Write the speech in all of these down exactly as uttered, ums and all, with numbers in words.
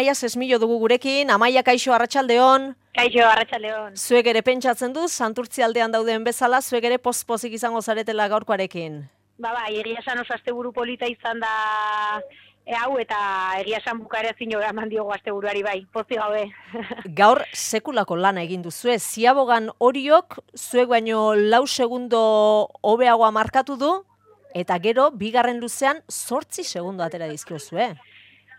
Amaia Sesmillo dugu gurekin, Amaia kaixo arratsaldeon. Kaixo arratsaldeon. Zuek ere pentsatzen du, Santurtzi aldean dauden bezala, zuek ere poz-pozik izango zaretela gaurkoarekin. Ba, bai, egia esan oso asteburu polita izan da e, hau, eta egia esan bukaera zino eman diogu asteburuari bai, pozik gaude. Gaur sekulako lana egin duzue, Ziabogan Oriok, zuek baino lau segundo hobeagoa markatu du, eta gero, bigarren luzean, zortzi segundo atera dizkiozue.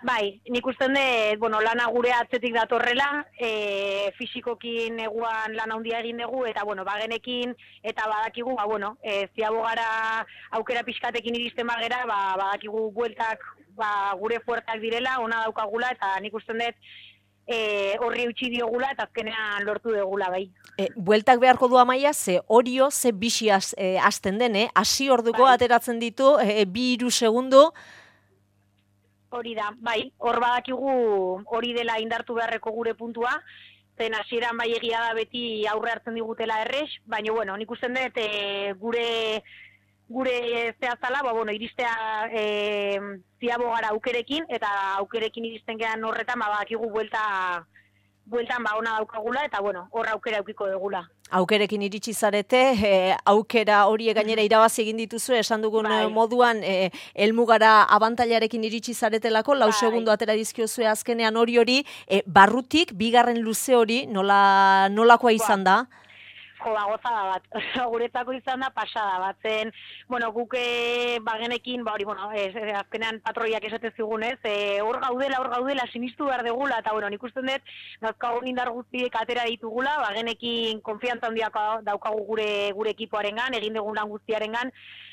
Bai, nik usten dut, bueno, lana gure atzetik datorrela, e, fisikokin eguan lana handia egin dugu, eta, bueno, bagenekin, eta badakigu, ba, bueno, e, Ziabogara aukera pixkatekin iristen bagera, ba, badakigu bueltak, ba, gure fuertak direla, ona daukagula, eta nik usten dut, e, horri utzi diogula, eta azkenean lortu dugula, bai. E, bueltak beharko du Amaia, ze Orio, ze bixi az, e, azten den, eh? Hasi orduko Bai. ateratzen ditu, e, bi hiru segundo. Hori da, bai, hor badakigu hori dela indartu beharreko gure puntua, zen hasieran bai egia da beti aurre hartzen digutela errex, baina, bueno, nik usten dut e, gure gure zehazala, ba, bueno, iristea e, Ziabogara aukerekin, eta aukerekin iristen gehan horretan, ba, badakigu buelta, bueltan ba ona daukagula, eta, bueno, hor aukera aukiko dugula. Aukerekin iritsi zarete, e, aukera horiek gainera irabazi egin dituzu, esan dugun Bai. moduan, e, helmugara abantailarekin iritsi zaretelako, lau Bai. segundo atera dizkiozue azkenean hori hori, e, barrutik, bigarren luze hori, nola, nolakoa izan da? Jo, ba, gozada bat, guretzako izan da pasada bat, zen, bueno, guke bagenekin, ba hori, bueno, ez, ez, azkenean patroiak esate zigunez, e, hor gaudela, hor gaudela, sinistu behar degula, eta, bueno, nik usten dut, nazkagun indar guztiek atera ditugula, bagenekin konfiantza handiak daukagu gure gure ekipoarengan, egin dugun lan guztiarengan,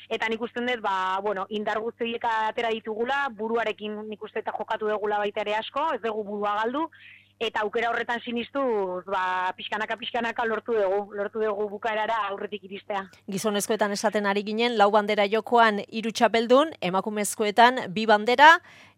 eta nik usten dut, ba, bueno, indar guztiek atera ditugula, buruarekin nik uste eta jokatu dugula baita ere asko, ez dugu burua galdu, eta aukera horretan sinistuz, ba, pixkanaka pixkanaka lortu dugu, lortu dugu bukaerara aurretik iristea. Gizonezkoetan esaten ari ginen, lau bandera jokoan hiru txapeldun, emakumezkoetan bi bandera,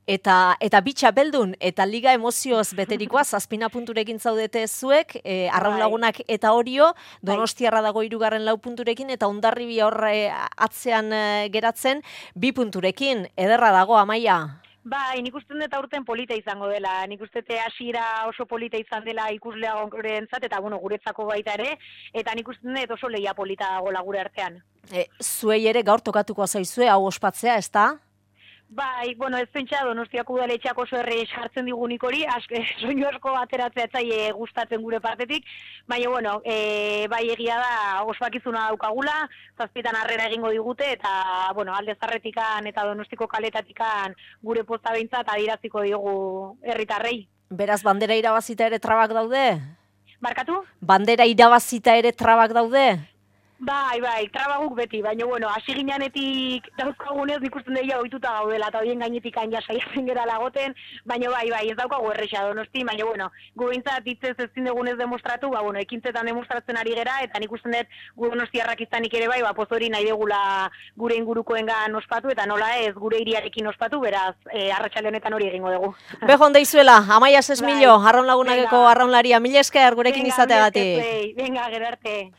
eta eta bi txapeldun, eta liga emozioz beterikoa, zazpina punturekin zaudete zuek, e, Arraun Lagunak eta Orio, Donostiarra dago hirugarren lau punturekin, eta Hondarribia horre atzean e, geratzen, bi punturekin, ederra dago, Amaia. Bai, nik uste dut aurten polita izango dela, nik uste dut hasiera oso polita izan dela ikuslea gurentzat, eta bueno, guretzako baita ere, eta nik uste dut oso lehia polita dagoela gure artean. E, zuei ere gaur tokatuko zaizue, hau ospatzea, ez da? Bai, bueno, ez pentsa Donostiako udaletxeak oso erre jartzen digunik hori, aske, soinu asko ateratzea etzaie gustatzen gure partetik, baina, bueno, e, bai egia da ospakizuna daukagula, zazpietan harrera egingo digute, eta, bueno, alde zarretikan eta Donostiko kaletatikan gure posta behintzat adieraziko diogu herritarrei. Beraz, bandera irabazita ere trabak daude? Barkatu? Bandera irabazita ere trabak daude? Bai, bai, trabaguk beti, baina, bueno, hasi gineanetik dauzkagunez nik usten deia ohituta gaudela, eta horien gainetik hain jasaiatzen gara lagoten, baina bai, bai, ez daukagu erresa Donosti, baina, bueno, gu bintzat hitzez ezin dugunez demostratu, ba, bueno, ekintzetan demostratzen ari gera, eta nik usten dut gu Donostiarrak izanik ere bai, ba, pozori nahi degula gure ingurukoengan ospatu, eta nola ez, gure hiriarekin ospatu, beraz, e, arratsalde honetan hori egingo dugu. Bejon deizuela, Amaia Sesmillo, Bai. Arraun Lagunakeko Venga. arraunlaria, mila esker gurekin Venga, izateagatik. mila esker zuei. Venga, gero arte.